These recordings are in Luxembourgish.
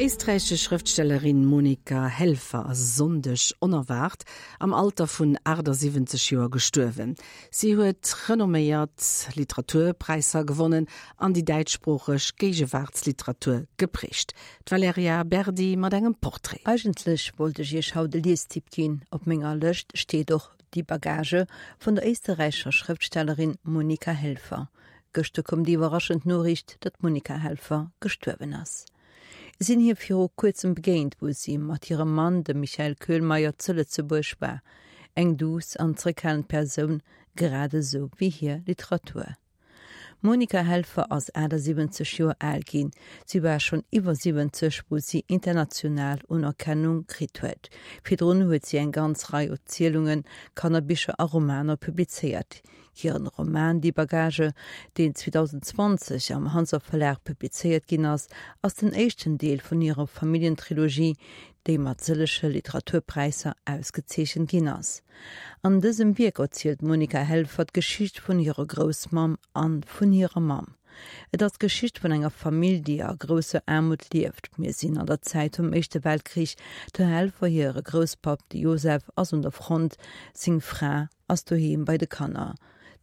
éisträichesch Schrëftstellerin Monika Helfer ass e Sonndeg onerwaart am Alter vun 78 Joer gestuerwen. Si huet renomméiert Literaturpräisser gewonnen an déi däitschsproocheg Géigewaartsliteratur geprägt. D'Valerija Berdi mat engem Portrait. Eigentlech wollt ech iech haut e Liestipp ginn. Op menger Lëscht steet och Die Bagage vun der éisterräichescher Schrëftstellerin Monika Helfer. Gëschter koum déi iwwerraschend Noriicht, datt d'Monika Helfer gestuerwen ass. Sinn hir viru kuerzem begéint, wou si mat hirem Mann, dem Michael Köhlmeier, zu Lëtzebuerg war. Eng duuss an zréckhalend Persoun, grad esou wéi hir Literatur. D'Monika Helfer ass 78 Joer al ginn. Si war schonn iwwer 70, wou si international Unerkennung kritt huet. Virdrun huet si eng ganz Rei Erzielungen, Kannerbicher a Romaner publizéiert. Hiren Roman Die Bagage, deen 2020 am Hanser Verlag publizéiert ginn ass, ass den éischten Deel vun hirer Familljentrilogie, déi mat sëllege Literaturpräisser ausgezeechent ginn ass. An dësem Wierk erzielt d'Monika Helfer d'Geschicht vun hirer Groussmamm an vun hirer Mamm. Et ass d'Geschicht vun enger Famill, déi a grousser Aarmut lieft. Mir sinn an der Zäit vum Éischte Weltkrich. Der Helfer hire Grousspapp, de Josef, ass un der Front, seng Fra ass doheem bei de Kanner.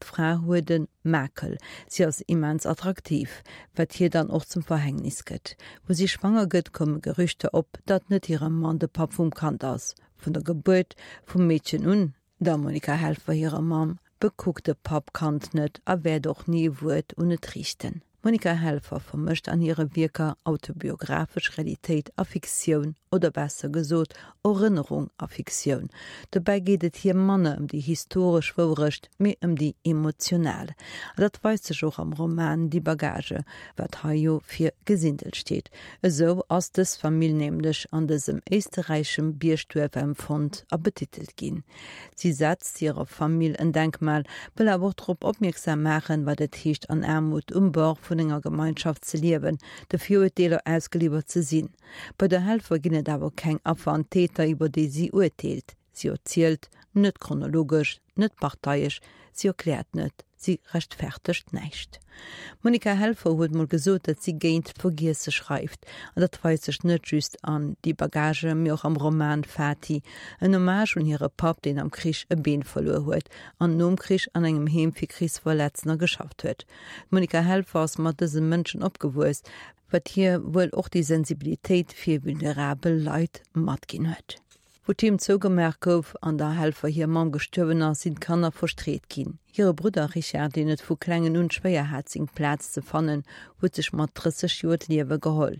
D'Fra huet e Makel, si ass immens attraktiv, wat hir dann och zum Verhängnis gëtt. Wou si schwanger gëtt, komme Gerüchter op, datt net hire Mann de Papp vum Kand ass. Vun der Gebuert vum Meedchen un, der Monika Helfer hirer Mamm, bekuckt de Papp d'Kand net a wäert och ni e Wuert un et riichten. D'Monika Helfer vermëscht an hire Wierker autobiographesch Realitéit a Fiktioun, oder besser gesot Erënnerung a Fiktioun. Dobäi geet et hir manner ëm déi historesch Wourecht, mee ëm déi emotional. A dat weist sech och am Roman Die Bagage, wat hei jo fir Gesindel steet. Esou ass dës Famill nämlech an dësem éisterräischem Biergduerf empfonnt a betitelt ginn. Si setzt hirer Famill en Denkmal, wëll awer och drop opmierksam maachen, wat et heescht an Aarmut um Bord vun enger Gemeinschaft ze liewen, de Virurteeler ausgeliwwert ze sinn. Bei der Helfer ginn et awer keng Affer an Täter, iwwer déi si urteelt. Si erzielt net chronologesch, net parteiesch, si erkläert net, si rechtfertegt näischt. D'Monika Helfer huet mol gesot, datt si géint d'Vergiesse schreift. An dat weist sech net just an Die Bagage, mee och am Roman Fati, en Hommage un hire Papp, deen am Krich e Been verluer huet an nom Krich an engem Heem fir Krichsverletztener geschafft huet. D'Monika Helfer ass mat dëse Mënschen opgewuess, wat hir wuel och déi Sensibilitéit fir vulnerabel Leit matginn huet. Wou d'Heem zougemaach gouf an der Helfer hir Mamm gestuerwen ass, sinn d'Kanner verstreet ginn. Hire Brudder Richard, deen et vu klengen un schwéier hat seng Plaz ze fannen, huet sech mat 30 Joer d'Liewe geholl.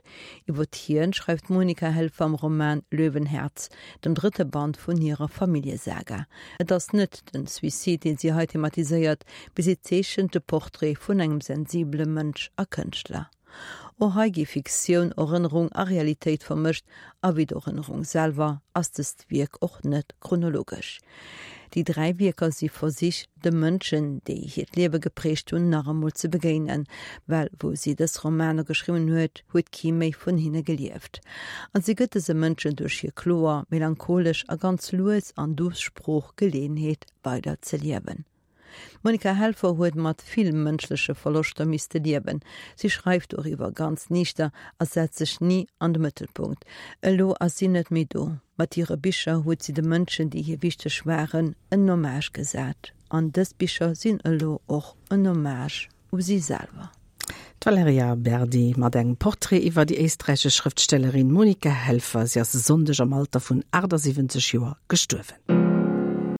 Iwwert hien schreift d'Monika Helfer am Roman Löwenherz, dem drëtte Band vun hirer Familljesaga. Et ass net den Suicide, deen si hei thematiséiert, mee si zeechent de Portrait vun engem sensibele Mënsch a Kënschtler. Och hei gi Fiktioun, Erënnerung a Realitéit vermëscht, a wéi d'Erënnerung selwer ass dëst Wierk och net chronologesch. Déi 3 Wierker si Versich, de Mënschen, déi hiert Liewe geprägt hunn, nach emol ze begéinen, well wou si dës Romaner geschriwwen huet, huet kee méi vun hinne gelieft. An si gëtt dëse Mënschen duerch hir kloer, melancholesch a ganz lues an duuss Sprooch Geleeënheet, weider ze liewen. D'Monika Helfer huet mat vill mënschleche Verloschter misste liewen. Si schreift doriwwer ganz niichter a setzt sech ni an de Mëttelpunkt. Elo ass si net méi do. Mat hire Bicher huet si de Mënschen, déi hir wichteg waren, en Hommage gesat. An dës Bicher sinn elo och en Hommage u si selwer. D'Valerija Berdi mat engem Portrait iwwer déi éisträichesch Schrëftstellerin Monika Helfer. Si ass e Sonndeg am Alter vun 78 Joer gestuerwen.